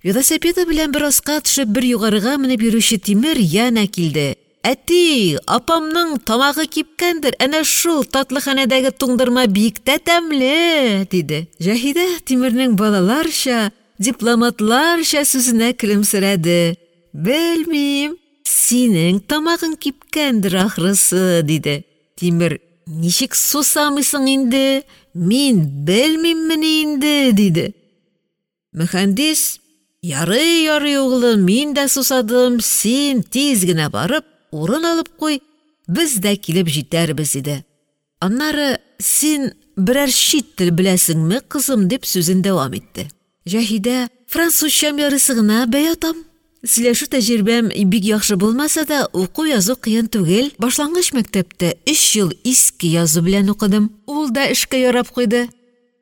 Велосипеды белән бер аска төшеп, бер югарыга менеп йөрүче Тимер янә килде: «Әти, апамның тамагы кипкәндер, әнә шул татлыханәдәге туңдырма бик тә тәмле», — диде. Җаһидә Тимернең балаларча, дипломатларча сүзенә көлемсерәде: «Белмим, синең тамагың кипкәндер, ахрысы», — диде. Тимер: «Ничек сусамыйсың инде, мин белмиммени инде», — диде. Мөхәндис: «Ярый, ярый, углым, мин дә сусадым, син тиз генә барып урын алып куй, без дә килеп җитәрбез», — диде. Аннары: «Син берәр чит тел беләсеңме, кызым?» — дип сүзен дәвам итте. Җаһидә: «Французчам ярыйсы гына бәй атам. Сөйләшү тәҗрибәм бик яхшы булмаса да, уку-язу кыен түгел. Башлангыч мәктәптә өч ел иске язу белән укыдым. Ул да эшкә ярап куйды.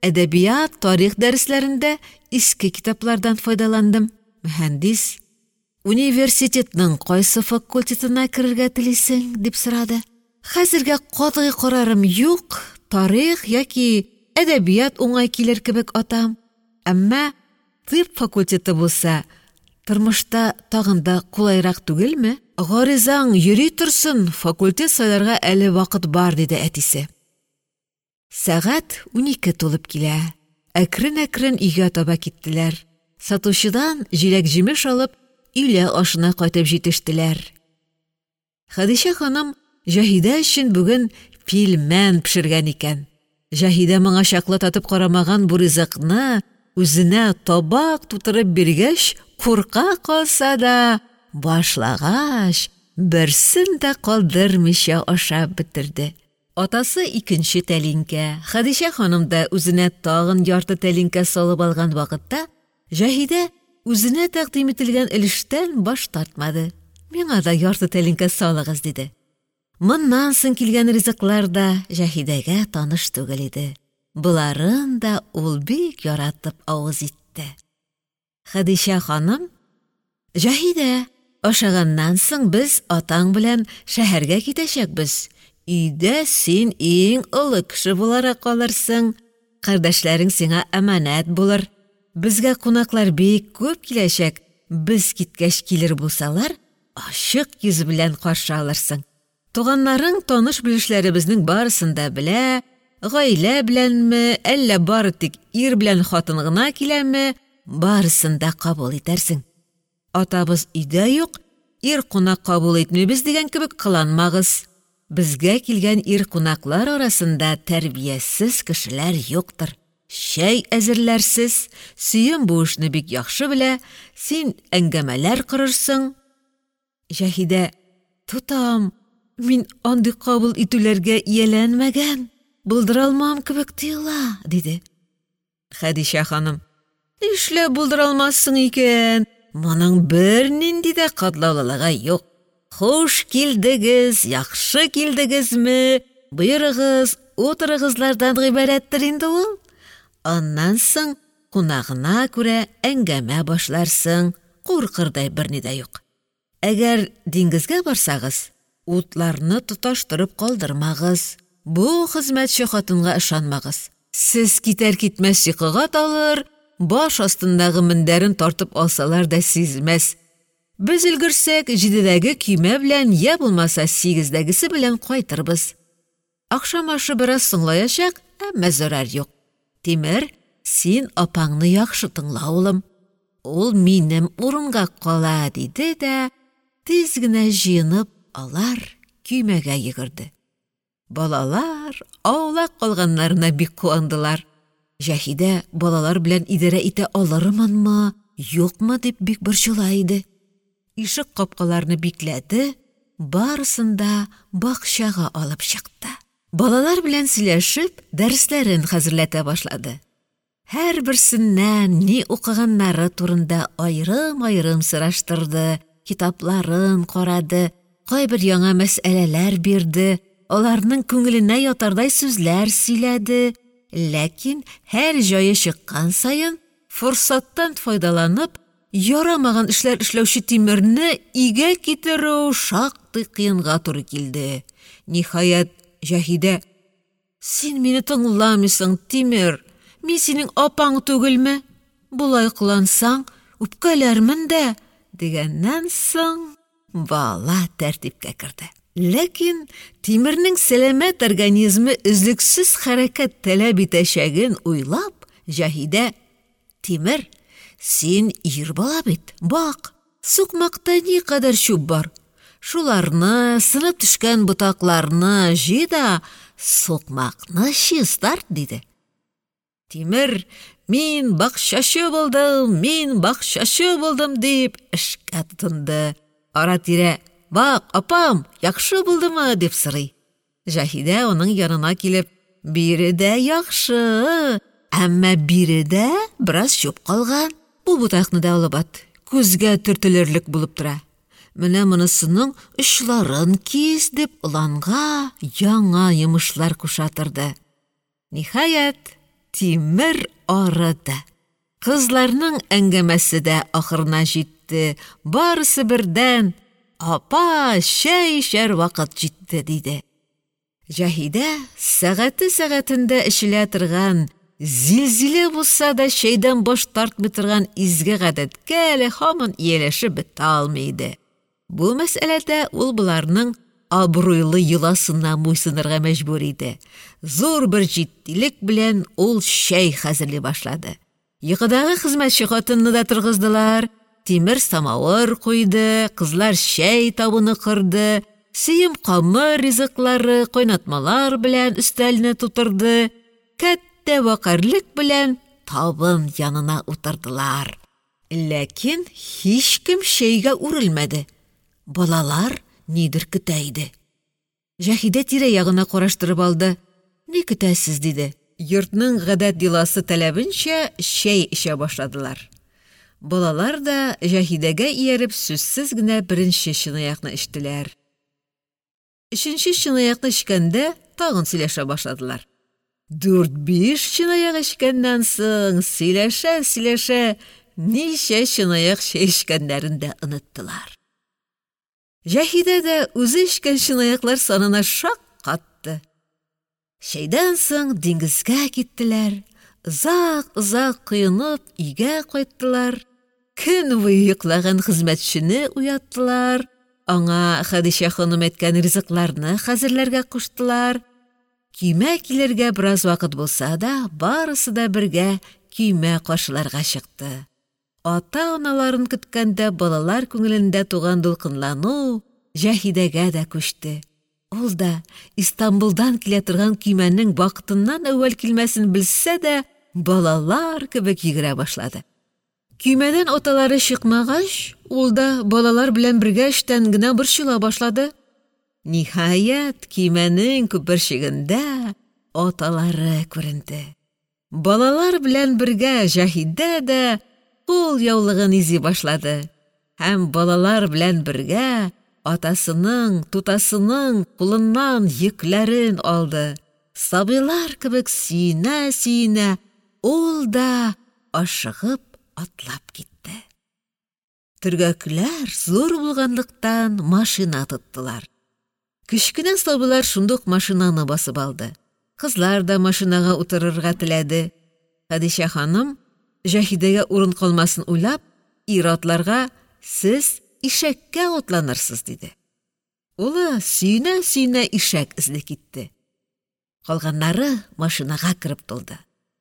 Әдәбият, тарих дәресләрендә иске китаплардан файдаландым». Мөһәндис: «Университетның кайсы факультетына керергә телисең?» — дип сорады. «Хәзергә катгый карарым юк, тарих яки әдәбият уңай килер кебек атам. Әмма тыйб факультеты булса, тормышта тагын да кулайрак түгелме? Гаризаң йөри торсын, факультет сайларга әле вакыт бар», — диде әтисе. Сәгать 12 тулып килә. Әкрен-әкрен өйгә таба киттеләр. Сатучыдан җиләк-җимеш алып, өйлә ашына кайтып җитештеләр. Хәдичә ханым Җаһидә өчен бүген пилмән пешергән икән. Җаһидә моңа чаклы татып карамаган бу ризыкны үзенә табак тутырып биргәч, курка калса да, башлагач, берсен дә калдырмыйча ашап бетерде. Атасы икенче тәлинкә, Хәдичә ханым да үзенә тагын ярты тәлинкә салып алган вакытта Җаһидә үзенә тәкъдим ителгән өлештән баш тартмады. «Миңа да ярты тәлинкә салыгыз», — диде. Моннан соң килгән ризыклар да Җаһидәгә таныш түгел иде. Боларын да ул бик яратып авыз итте. Хәдичә ханым: «Җаһидә, ашаганнан соң без атаң белән шәһәргә китәчәкбез. Өйдә син иң олы кеше буларак калырсың. Кардәшләрең сиңа әманәт булыр. Безгә кунаклар бик күп киләчәк. Без киткәч килер булсалар, ачык йөз белән каршы алырсың. Туганнарың таныш-белешләребезнең барысын да белә, гаилә беләнме, әллә бары тик ир белән хатын гына киләме, барысын да кабул итәрсең. Атабыз өйдә юк, ир кунак кабул итмибез дигән кебек кыланмагыз. Безгә килгән ир кунаклар арасында тәрбиясез кешеләр юктыр. Чәй әзерләрсез, Сөем бу эшне бик яхшы белә, син әңгәмәләр корырсың». Җаһидә: «Тотам, мин андый кабул итүләргә ияләнмәгән, булдыра алмам кебек тоела», — диде. Хәдичә ханым: «Нишләп булдыра алмассың икән? Моның бернинди дә катлаулылыгы юк. Хуш килдегез, яхшы килдегезме, боерыгыз, утырыгызлардан гыйбарәттер инде ул. Аннан соң кунагына күрә әңгәмә башларсың, куркырдай берни дә юк. Әгәр диңгезгә барсагыз, утларны тоташтырып калдырмагыз. Бу хезмәтче хатынга ышанмагыз. Сез китәр-китмәс йокыга талыр, баш астындагы мендәрен тартып алсалар да сизмәс. Без өлгерсәк, җидедәге көймә белән йә булмаса сигездәгесе белән кайтырбыз. Ахшам ашы бераз соңлаячак, әмма зарар юк. Тимер, син апаңны яхшы тыңла, улым. Ул минем урынга кала, диде дә, тиз генә җыенып, алар көймәгә йөгерде. Балалар аулак калганнарына бик куандылар. Җаһидә балалар белән идарә итә алырмынмы, юкмы дип бик борчыла иде. Ишек капкаларны бикләде, барысын да бакчага алып чыкты. Балалар белән сөйләшеп, дәресләрен хәзерләтә башлады. Һәрберсеннән ни укыганнары турында аерым-аерым сораштырды, китапларын карады, кайбер яңа мәсьәләләр бирде, аларның күңеленә ятардай сүзләр сөйләде, ләкин һәр җае чыккан саен, форсаттан файдаланып, ярамаган эшләр эшләүче Тимерне игә китерү шактый кыенга туры килде. Ниһаять, Җаһидә: «Син мине тыңламыйсың, Тимер, мин синең апаң түгелме? Болай кылансаң, үпкәләрмен дә, дигәннән соң бала тәртипкә керде. Ләкин Тимернең сәламәт организмы өзлексез хәрәкәт таләп итәчәген уйлап, Җаһидә: «Тимер, син ир бала бит, бак, сукмакта никадәр чүп бар, шуларны, сынып төшкән ботакларны җый да сукмакны чистарт», — диде. Тимер: «Мин бакчачы булдым, мин бакчачы булдым», — дип эшкә тотынды, ара-тирә: «Бак, апам, яхшы булдымы?» — дип сорый. Җаһидә аның янына килеп: «Биредә яхшы, әмма биредә бераз чүп калган, бу ботакны да алып ат, күзгә төртелерлек булып тора, менә монысының очларын кис», — дип, оланга яңа йомышлар куша торды. Ниһаять, Тимер арыды. Кызларның әңгәмәсе дә ахырына җитте, барысы бердән: «Апа, чәй эчәр вакыт җитте», — диде. Җаһидә сәгате-сәгатендә эчелә торган, зилзилә булса да чәйдән баш тартмый торган изге гадәткә әле һаман ияләшеп бетә алмый иде. Бу мәсьәләдә ул боларның абруйлы йоласына буйсынырга мәҗбүр иде. Зур бер җитдилек белән ул чәй хәзерли башлады. Йокыдагы хезмәтче хатынны да торгыздылар, Тимер самавыр куйды, кызлар чәй табыны корды, сөем камыр ризыклары, кайнатмалар белән өстәлне тутырды, кәттә вәкарьлек белән табын янына утырдылар. Ләкин һичкем чәйгә үрелмәде. Балалар нидер көтә иде. Җаһидә тирә-ягына караштырып алды. «Ни көтәсез?» — диде. Йортның гадәт-йоласы таләбенчә чәй эчә башладылар. Балалар да Җаһидәгә ияреп сүзсез генә беренче чынаякны эчтеләр. Өченче чынаякны эчкәндә тагын сөйләшә башладылар. Дүрт-биш чынаяк эчкәннән соң сөйләшә-сөйләшә ничә чынаяк чәй эчкәннәрен дә оныттылар. Җаһидә дә үзе эчкән чынаяклар санына шаккатты. Чәйдән соң диңгезгә киттеләр, озак-озак коенып өйгә кайттылар. Көн буе йоклаган хезмәтчене уяттылар, аңа Хәдичә ханым әйткән ризыкларны хәзерләргә куштылар. Көймә килергә бераз вакыт булса да, барысы да бергә көймә каршыларга чыкты. Ата-аналарын көткәндә балалар күңелендә туган дулкынлану Җаһидәгә дә күчте. Ул да Истанбулдан килә торган көймәнең вакытыннан әүвәл килмәсен белсә дә, балалар кебек йөгерә башлады. Көймәдән аталары чыкмагач, ул да балалар белән бергә эчтән генә борчыла башлады. Ниһаять, көймәнең күперчегендә аталары күренде. Балалар белән бергә Җаһидә дә кул яулыгын изи башлады һәм балалар белән бергә атасының, тутасының кулыннан йөкләрен алды. Сабыйлар кебек сөенә-сөенә ул да ашыгып атлап китте. Төргәкләр зур булганлыктан машина тоттылар. Кечкенә сабыйлар шундук машинаны басып алды. Кызлар да машинага утырырга теләде. Хәдичә ханым, Җаһидәгә урын калмасын уйлап, ир-атларга: «Сез ишәккә атланырсыз», — диде. Улы сөенә-сөенә ишәк эзли китте. Калганнары машинага кереп тулды.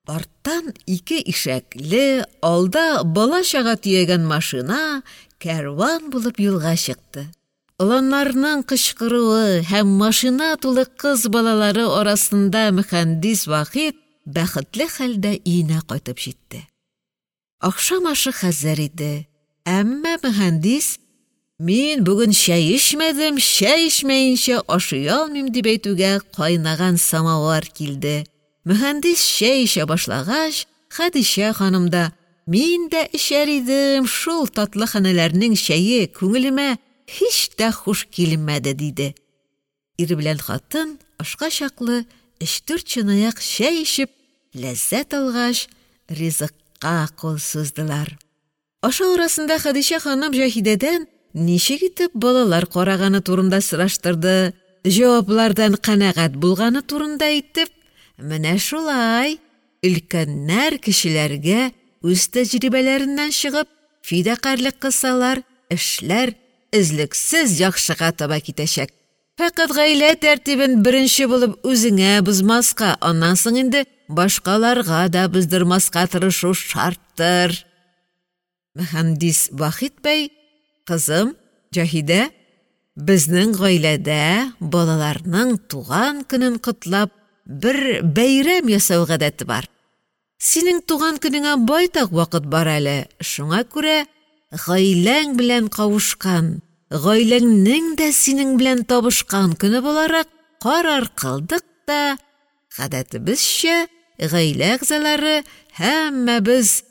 Арттан ике ишәкле, алда бала-чага төягән машина кәрван булып юлга чыкты. Оланнарның кычкыруы һәм машина тулы кыз балалары арасында мөхәндис Вахит бәхетле хәлдә өенә кайтып җитте. Ахшам ашы хәзер иде, әмма мөхәндис: «Мин бүген чәй эчмәдем, чәй эчмәенчә ашый алмыйм», дип әйтүгә кайнаган самовар килде. Мөхәндис чәй эчә башлагач, Хәдичә ханым да: «Мин дә эчәр идем, шул татлы ханәләрнең чәе күңелемә һич тә хуш килмәде», диде. Ир белән хатын ашка чаклы өч-дүрт чынаяк чәй эчеп, ләззәт алгач, ризыкка кул суздылар. Ашау арасында Хәдичә ханым Җаһидәдән ничек итеп балалар караганы турында сораштырды, җаваплардан канәгать булганы турында әйтеп, менә шулай, өлкәннәр кечеләргә үз тәҗрибәләреннән чыгып Фидакарьлек кылсалар, эшләр өзлексез яхшыга таба китәчәк. Фәкать гаилә тәртибен беренче булып үзеңә бозмаска, аннан соң инде башкаларга да боздырмаска тырышу шарттыр. Мөхәндис Вахит бәй: «Кызым, Җаһидә, безнең гаиләдә балаларның туган көнен котлап бер бәйрәм ясау гадәте бар. Синең туган көнеңә байтак вакыт бар әле, шуңа күрә гаиләң белән кавышкан, гаиләңнең дә синең белән табышкан көне буларак карар кылдык та, гадәтебезчә, гаилә әгъзалары һәммәбез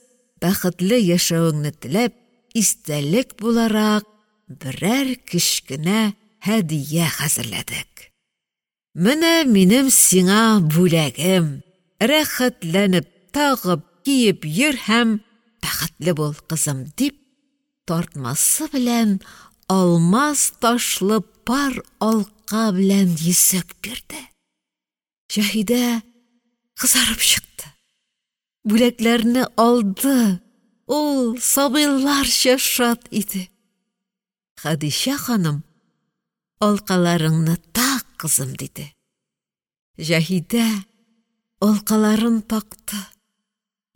бәхетле яшәвеңне теләп, истәлек буларак берәр кечкенә һәдия хәзерләдек. Менә минем сиңа бүләгем, рәхәтләнеп тагып, киеп йөр һәм бәхетле бул, кызым, — дип, тартмасы белән алмаз ташлы пар алка белән йөзек бирде. Җаһидә кызарып чыкты. Бүләкләрне алды, ул сабыйларча шат иде. Хәдичә ханым: «Алкаларыңны так, кызым», — диде. Җаһидә алкаларын такты,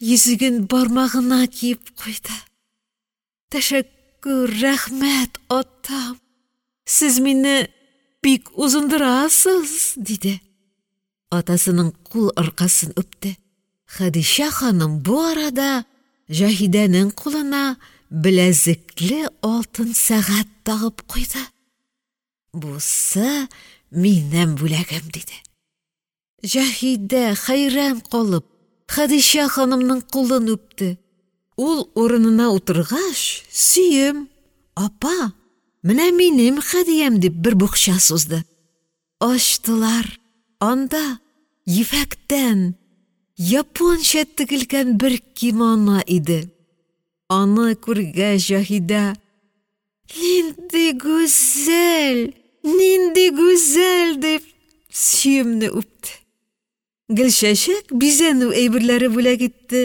йөзеген бармагына киеп куйды. «Тәшәккүр, рәхмәт, атам, сез мине бик узындырасыз», — диде. Атасының кул аркасын үпте. Хәдичә ханым бу арада Җаһидәнең кулына беләзекле алтын сәгать тагып куйды. «Бусы минем бүләгем», — диде. Җаһидә хәйран калып Хәдичә ханымның кулын үпте. Ул урынына утыргач, Сөем: «Апа, менә минем һәдиям», — дип бер букча сузды. Ачтылар, анда ефәктән, японча тегелгән бер кимоно иде. Аны күргәч, Җаһидә: «Нинди гүзәл, нинди гүзәл!» — дип Сөемне үпте. Гөлчәчәк бизәнү әйберләре бүләк итте,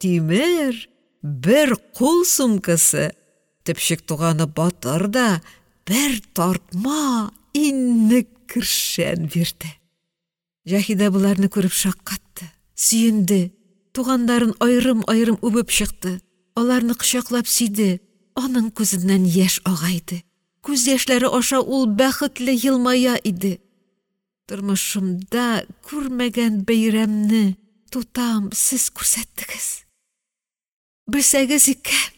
Тимер бер кул сумкасы, төпчек туганы Батыр да бер тартма иннек-кершән бирде. Җаһидә боларны күреп шаккатты, сөенде, туганнарын аерым-аерым үбеп чыкты, аларны кочаклап сөйде, аның күзеннән яшь ага иде, күз яшьләре аша ул бәхетле елмая иде. Тормышымда күрмәгән бәйрәмне, тутам, сез күрсәттегез. Белсәгез икән,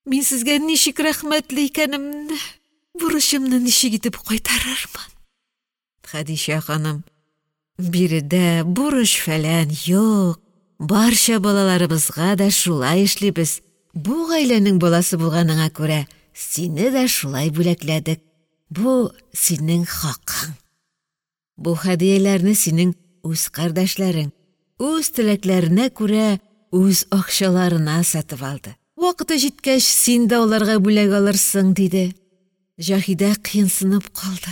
мин сезгә ничек рәхмәтле икәнемне, бурычымны ничек итеп кайтарырмын. Хәдичә ханым: «Биредә бурыч-фәлән юк, барча балаларыбызга да шулай эшлибез, бу гаиләнең баласы булганыңа күрә сине дә шулай бүләкләдек, бу синең хакың. Бу һәдияләрне синең үз кардәшләрең, үз теләкләренә күрә үз акчаларына сатып алды. Вакыты җиткәч, син дә аларга бүләк алырсың», — диде. Җаһидә кыенсынып калды.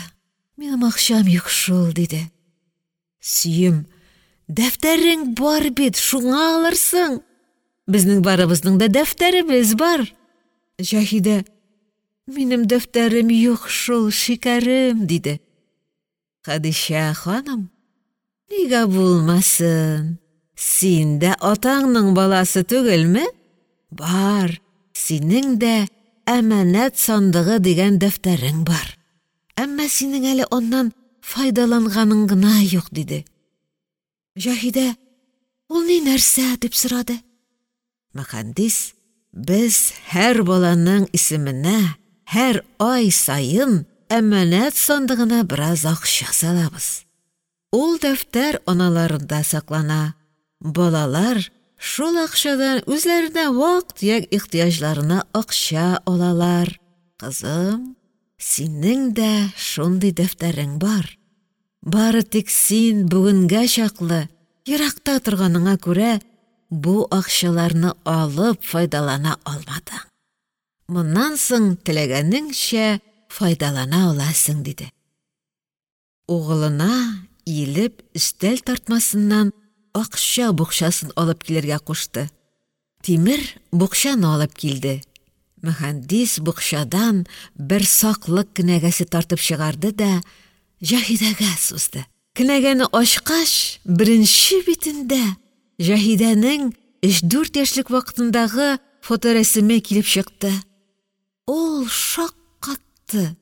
«Минем акчам юк шул», — диде. Сөем: «Дәфтәрең бар бит, шуңа алырсың. Безнең барыбызның да дәфтәребез бар». Җаһидә: «Минем дәфтәрем юк шул, шикәрем», — диде. Хәдичә ханым: «Нигә булмасын, син дә атаңның баласы түгелме? Бар, синең дә «Әманәт сандыгы» дигән дәфтәрең бар. Әмма синең әле аннан файдаланганың гына юк», — диде. Җаһидә: «Ул ни нәрсә?» — дип сорады. Мөхәндис: «Без һәр баланың исеменә һәр ай саен әманәт сандыгына бераз акча салабыз. Ул дәфтәр аналарында саклана, балалар шул акчадан үзләренә вак-төяк ихтыяҗларына акча алалар. Кызым, синең дә шундый дәфтәрең бар. Бары тик син бүгенгә чаклы еракта торганыңа күрә бу акчаларны алып файдалана алмадың. Моннан соң теләгәнеңчә файдалана аласың», — диде. Угылына иелеп өстәл тартмасыннан акча букчасын алып килергә кушты. Тимер букчаны алып килде, Мөһәндис букчадан бер саклык кенәгәсе тартып чыгарды да Җаһидәгә сузды, кенәгәне ачкач, беренче битендә Җаһидәнең өч-дүрт яшьлек вакытындагы фоторәсеме килеп чыкты, ул шаккатты,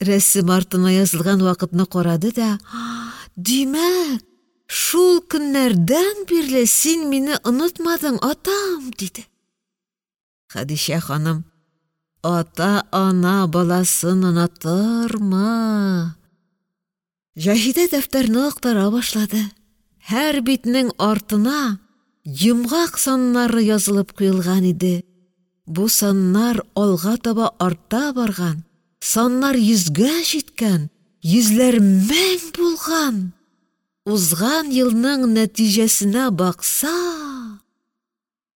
рәсем артына язылган вакытны карады да: «Димәк, шул көннәрдән бирле син мине онытмадың, атам!» — диде. Хәдичә ханым: «Ата-ана баласын онытырмы?!» Җаһидә дәфтәрне актара башлады, һәр битнең артына йомгак саннары язылып куелган иде, бу саннар алга таба арта барган, саннар йөзгә җиткән, йөзләр мең булган, узган елның нәтиҗәсенә баксак,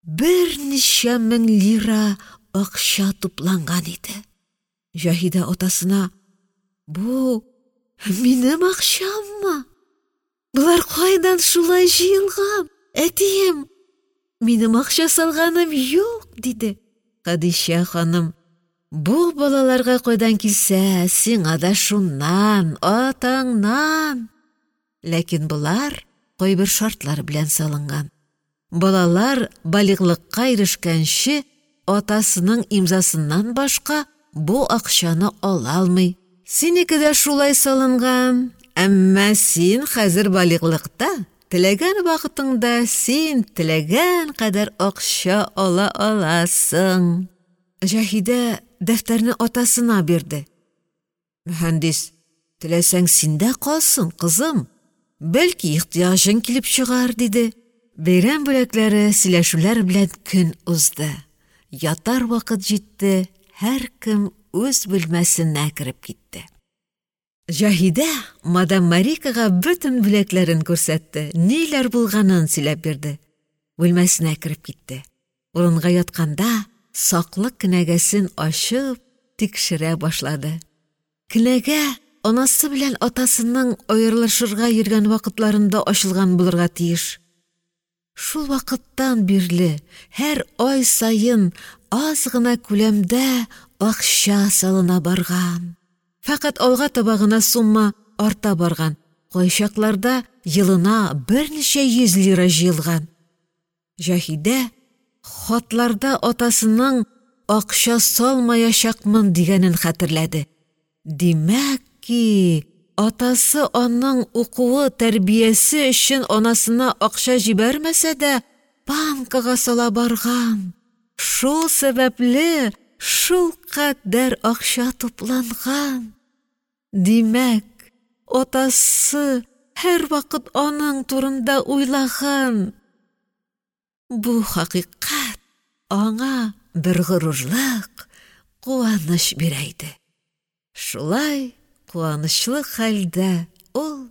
берничә мең лира акча тупланган иде. Җаһидә атасына: «Бу минем акчаммы? Болар кайдан шулай җыелган, әтием? Минем акча салганым юк», — диде. Хәдичә ханым: «Бу балаларга кайдан килсә, сиңа да шуннан, атаңнан!» Ләкин болар кайбер шартлар белән салынган. Балалар балигълыкка ирешкәнче атасының имзасыннан башка бу акчаны ала алмый. Синеке дә шулай салынган, әмма син хәзер балигълыкта, теләгән вакытыңда син теләгән кадәр акча ала аласың. Җаһидә дәфтәрне атасына бирде. Мөһәндис: «Теләсәң, синдә калсын, кызым, бәлки ихтыяҗың килеп чыгар», — диде. Бәйрәм бүләкләре, сөйләшүләр белән көн узды. Ятар вакыт җитте, һәркем үз бүлмәсенә кереп китте. Җаһидә мадам Марикага бөтен бүләкләрен күрсәтте, ниләр булганын сөйләп бирде. Бүлмәсенә кереп китте. Урынга ятканда саклык кенәгәсен ачып тикшерә башлады. Кенәгә анасы белән атасының аерылышырга йөргән вакытларында ачылган булырга тиеш. Шул вакыттан бирле һәр ай саен аз гына күләмдә акча салына барган. Фәкать алга таба гына сумма арта барган, кайчакларда елына берничә йөз лира җыелган. Җаһидә хатларда атасының акча салмаячакмын дигәнен хәтерләде. Димәк ки, атасы аның укуы, тәрбиясе өчен анасына акча җибәрмәсә дә, банкага сала барган. Шул сәбәпле шулкадәр акча тупланган. Димәк, атасы һәрвакыт аның турында уйлаган. Бу хакыйкать аңа бер горурлык, куаныч бирә иде. Шулай куанычлы хәлдә ул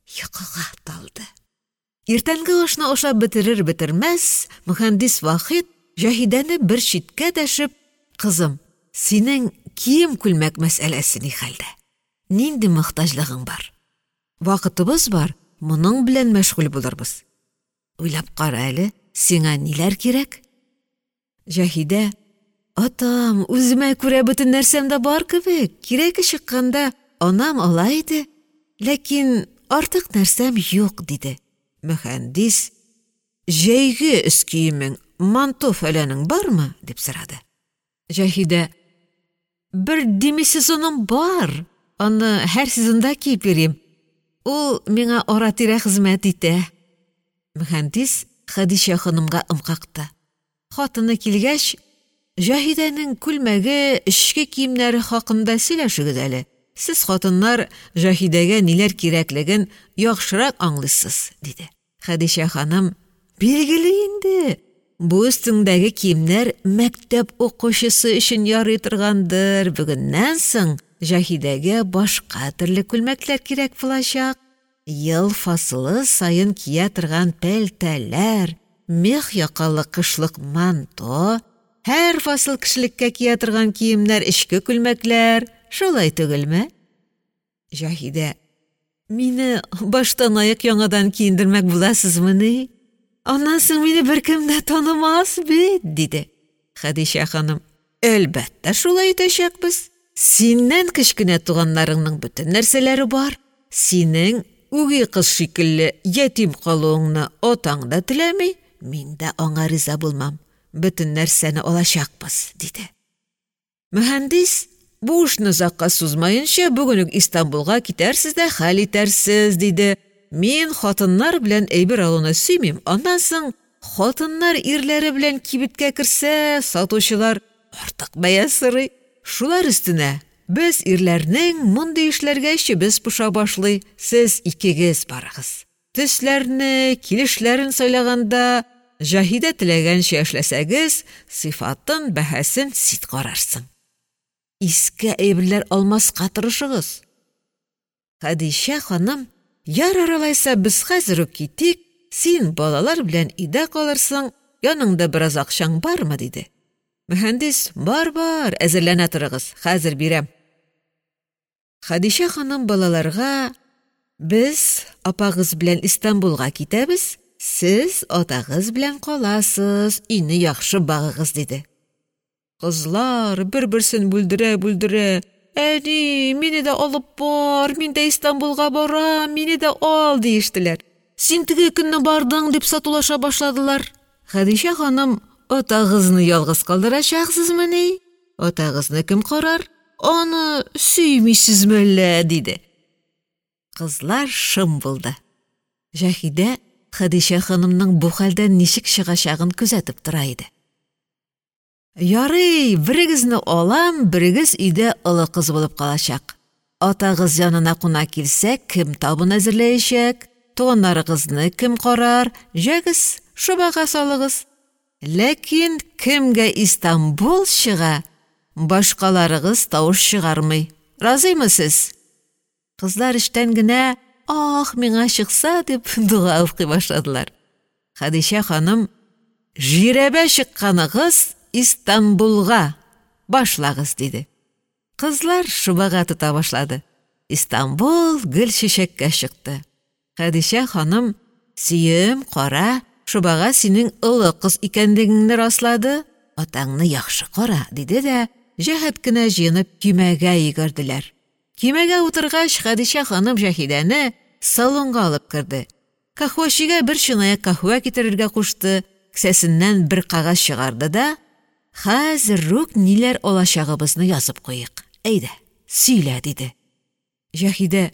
йокыга талды. Иртәнге ашны ашап бетерер-бетермәс, мөһәндис Вахит Җаһидәне бер читкә дәшеп: «Кызым, синең кием-күлмәк мәсьәләсе ни хәлдә? Нинди мохтаҗлыгың бар? Вакытыбыз бар, моның белән мәшгуль булырбыз. Уйлап кара әле, сиңа ниләр кирәк?» Җаһидә: «Атам, үземә күрә бөтен нәрсәм дә бар кебек, кирәге чыкканда анам ала иде, ләкин артык нәрсәм юк», — диде. Мөһәндис: «Җәйге өс киемең, манто-фәләнең бармы?» — дип сорады. Җаһидә: «Бер демисезоным бар, аны һәр сезонда киеп йөрим. Ул миңа ара-тирә хезмәт итә». Мөһәндис Хәдичә ханымга ым какты. Хатыны килгәч: «Җаһидәнең күлмәге, эчке киемнәре хакында сөйләшегез әле. Сез, хатыннар, Җаһидәгә ниләр кирәклеген яхшырак аңлыйсыз», — диде. Хәдичә ханым: «Билгеле инде, бу өстеңдәге киемнәр мәктәп укучысы өчен ярый торгандыр, бүгеннән соң Җаһидәгә башка төрле күлмәкләр кирәк булачак. Ел фасылы саен кия торган пәлтәләр, мех якалы кышлык манто, һәр фасыл кешелеккә кия торган киемнәр, эчке күлмәкләр, шулай түгелме?» Җаһидә: «Мине баштанаяк яңадан киендермәк буласызмыни? Аннан соң мине беркем дә танымас бит, диде. Хәдичә ханым: «Әлбәттә, шулай итәчәкбез. Синнән кечкенә туганнарыңның бөтен нәрсәләре бар. Синең үги кыз шикелле ятим калуыңны атаң да теләми, мин дә аңа риза булмам. Бөтен нәрсәне алачакбыз», — диде. Мөһәндис: «Бу эшне озакка сузмаенча, бүген үк Истанбулга китәрсез дә хәл итәрсез», — диде. «Мин хатыннар белән әйбер алуны сөймим, аннан соң хатыннар ирләре белән кибеткә керсә, сатучылар артык бәя сорый. Шулар өстенә без ирләрнең мондый эшләргә эчебез поша башлый, сез икегез барыгыз. Төсләрне, килешләрен сайлаганда Җаһидә теләгәнчә эшләсәгез, сыйфатын, бәһасен син карарсың. Иске әйберләр алмаска тырышыгыз». Хәдичә ханым: «Ярар алайса, без хәзер үк китик, син балалар белән өйдә калырсың, яныңда бераз акчаң бармы?» — диде. Мөһәндис: «Бар, бар, әзерләнә торыгыз, хәзер бирәм». Хәдичә ханым балаларга: «Без апагыз белән Истанбулга китәбез, сез атагыз белән каласыз, өйне яхшы багыгыз», — диде. Кызлар бер-берсен бүлдерә-бүлдерә: «Әни, мине дә алып бар, мин дә Истанбулга барам, мине дә ал», — диештеләр. «Син теге көнне бардың», — дип сатулаша башладылар. Хәдичә ханым: «Атагызны ялгыз калдырачаксызмыни? Атагызны кем карар? Аны сөймисезме әллә?» — диде. Кызлар шым булды. Җаһидә Хәдичә ханымның бу хәлдән ничек чыгачагын күзәтеп тора иде. «Ярый, берегезне алам, берегез өйдә олы кыз булып калачак. Атагыз янына кунак килсә, кем табын әзерләячәк, туганнарыгызны кем карар, җәгез, шобага салыгыз. Ләкин кемгә Истанбул чыга, башкаларыгыз тавыш чыгармый. Разыймы сез?» Кызлар эчтән генә «Ах, миңа чыкса!» дип дога укый башладылар. Хәдичә ханым: «Жирәбә чыкканыгыз Истанбулга, башлагыз», — диде. Кызлар шобага тота башлады. Истанбул Гөлчәчәккә чыкты. Хәдичә ханым: «Сөем, кара, шобага синең олы кыз икәнлегеңне раслады, атаңны яхшы кара», — диде дә җәһәт кенә җыенып көймәгә йөгерделәр. Көймәгә утыргач, Хәдичә ханым Җаһидәне салонга алып керде. Каһвәчегә бер чынаяк каһвә китерергә кушты, кесәсеннән бер кәгазь чыгарды да: «Хәзер үк ниләр алачагыбызны язып куйыйк. Әйдә, сөйлә», — диде. Җаһидә: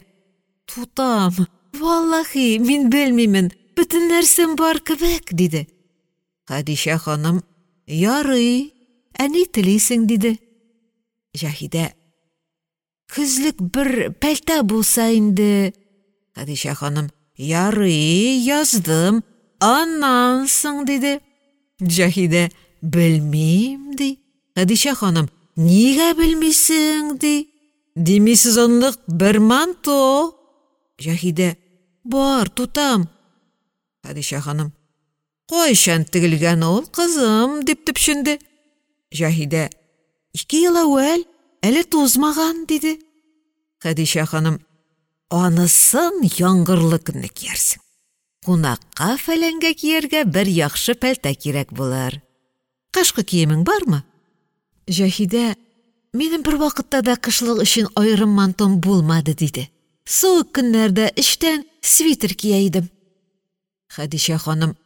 «Тутам, валлаһи, мин белмимен, бөтен нәрсәм бар кебек», — диде. Хәдичә ханым: «Ярый, ә ни телисең?» — диде. Җаһидә: «Көзлек бер пәлтә булса инде». Хәдичә ханым: «Ярый, яздым, аннан соң?» — диде. Җаһидә: «Белмим», — ди. Хәдичә ханым: «Нигә белмисең?» — ди. «Демисезонлык бер манто». Җаһидә: «Бар, тутам». Хәдичә ханым: «Кайчан тегелгән ул, кызым?» — дип төпченде. Җаһидә: «2 ел әүвәл, әле тузмаган», — диде. Хәдичә ханым: «Анысын яңгырлы көнне киярсең. Кунакка-фәләнгә кияргә бер яхшы пәлтә кирәк булыр. Кышкы киемең бармы?» Җаһидә: «Минем бервакытта да кышлык өчен аерым мантом булмады», — диде. «Суык көннәрдә эчтән свитер кия идем». Хәдичә ханым: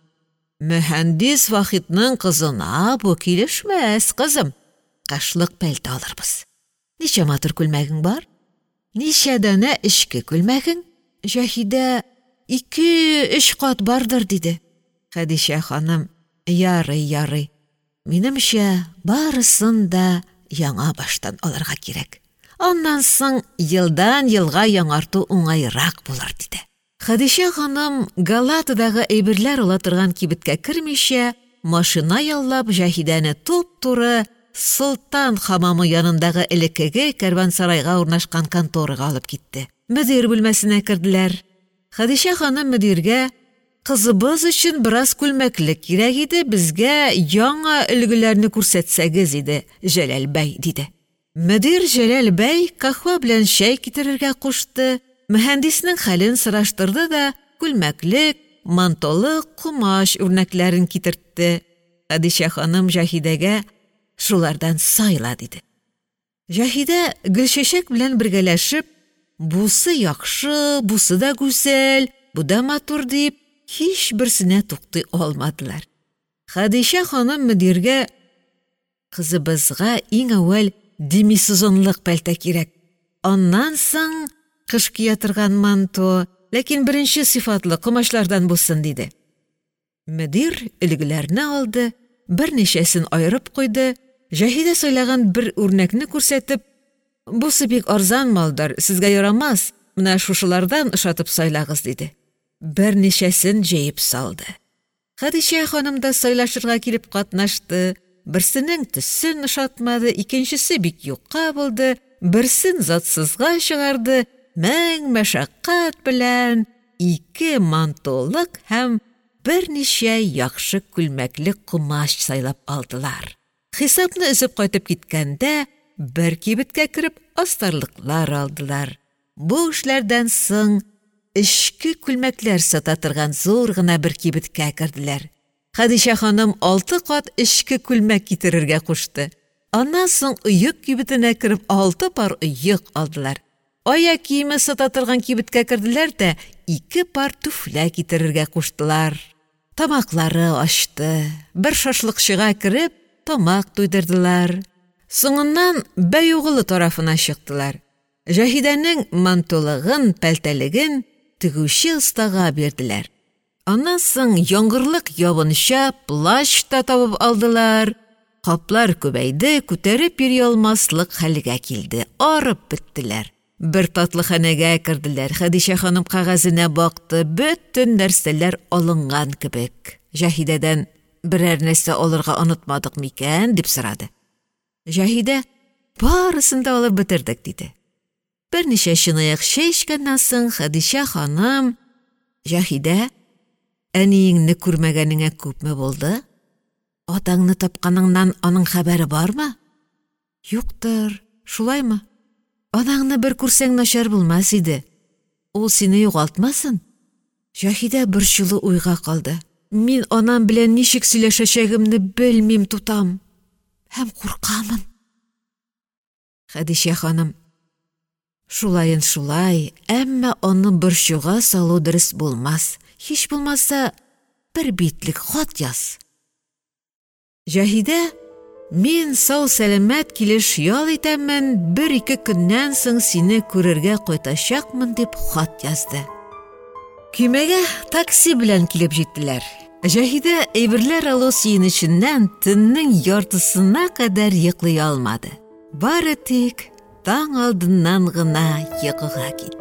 «Мөһәндис Вахитның кызына бу килешмәс, кызым. Кышлык пәлтә алырбыз. Ничә матур күлмәгең бар? Ничә данә эчке күлмәгең?» Җаһидә: «2-3 кат бардыр», — диде. Хәдичә ханым: «Ярый, ярый. Минемчә, барысын да яңа баштан алырга кирәк. Аннан соң елдан елга яңарту уңайрак булыр», — диде. Хәдичә ханым Галатадагы әйберләр ала торган кибеткә кермичә, машина яллап Җаһидәне туп-туры Солтан хамамы янындагы элеккеге кәрвансарайга урнашкан конторага алып китте. Мөдир бүлмәсенә керделәр. Хәдичә ханым мөдиргә: «Кызыбыз өчен бераз күлмәклек кирәк иде, безгә яңа өлгеләрне күрсәтсәгез иде, Җәләл бәй», — диде. Мөдир Җәләл бәй каһвә белән чәй китерергә кушты, мөһәндиснең хәлен сораштырды да күлмәклек, мантолы комач үрнәкләрен китертте. Хәдичә ханым Җаһидәгә: «Шулардан сайла», — диде. Җаһидә Гөлчәчәк белән бергәләшеп, бусы яхшы, бусы да гүзәл, бу да матур дип, һичберсенә туктый алмадылар. Хәдичә ханым мөдиргә: «Кызыбызга иң әүвәл демисезонлык пәлтә кирәк, аннан соң кыш кия торган манто, ләкин беренче сыйфатлы комачлардан булсын», — диде. Мөдир өлгеләрне алды, берничәсен аерып куйды, Җаһидә сайлаган бер үрнәкне күрсәтеп: «Бусы бик арзан малдыр, сезгә ярамас, менә шушылардан ошатып сайлагыз», — диде. Берничәсен җәеп салды. Хәдичә ханым да сайлашырга килеп катнашты, берсенең төсен ошатмады, икенчесе бик юка булды, берсен затсызга чыгарды, мең мәшәкать белән ике мантолык һәм берничә яхшы күлмәклек комач сайлап алдылар. Хисапны өзеп кайтып киткәндә бер кибеткә кереп астарлыклар алдылар. Бу эшләрдән соң эчке күлмәкләр сата торган зур гына бер кибеткә керделәр. Хәдичә ханым 6 кат эчке күлмәк китерергә кушты. Аннан соң оек кибетенә кереп 6 пар оек алдылар. Аяк киеме сата торган кибеткә керделәр дә 2 пар түфлә китерергә куштылар. Тамаклары ачты. Бер шашлыкчыга кереп тамак туйдырдылар. Соңыннан Бәйугылы тарафына чыктылар. Җаһидәнең мантолыгын, пәлтәлеген тегүче остага бирделәр. Аннан соң яңгырлык ябынча плащ та табып алдылар. Каплар күбәйде, күтәреп йөри алмаслык хәлгә килде, арып беттеләр. Бер татлыханәгә керделәр. Хәдичә ханым кәгазенә бакты, бөтен нәрсәләр алынган кебек. Җаһидәдән берәр нәрсә алырга онытмадык микән дип сорады. Җаһидә: «Барысын да алып бетердек», — диде. Берничә чынаяк чәй эчкәннән соң Хәдичә ханым: «Җаһидә, әниеңне күрмәгәнеңә күпме булды? Атаңны тапканыңнан аның хәбәре бармы?» «Юктыр, шулаймы? Анаңны бер күрсәң начар булмас иде. Ул сине югалтмасын». Җаһидә борчулы уйга калды. «Мин анам белән ничек сөйләшәчәгемне белмим, тутам, һәм куркамын». Хәдичә ханым: «Шулаен шулай, әмма аны борчуга салу дөрес булмас, һич булмаса, бер битлек хат яз». Җаһидә: «Мин сау-сәламәт килеш ял итәмен, бер-ике көннән соң сине күрергә кайтачакмын», — дип хат язды. Көймәгә такси белән килеп җиттеләр. Җаһидә әйберләр алу сөенеченнән төннең яртысына кадәр йоклый алмады. Бары тик таң алдыннан гына йокыга китте.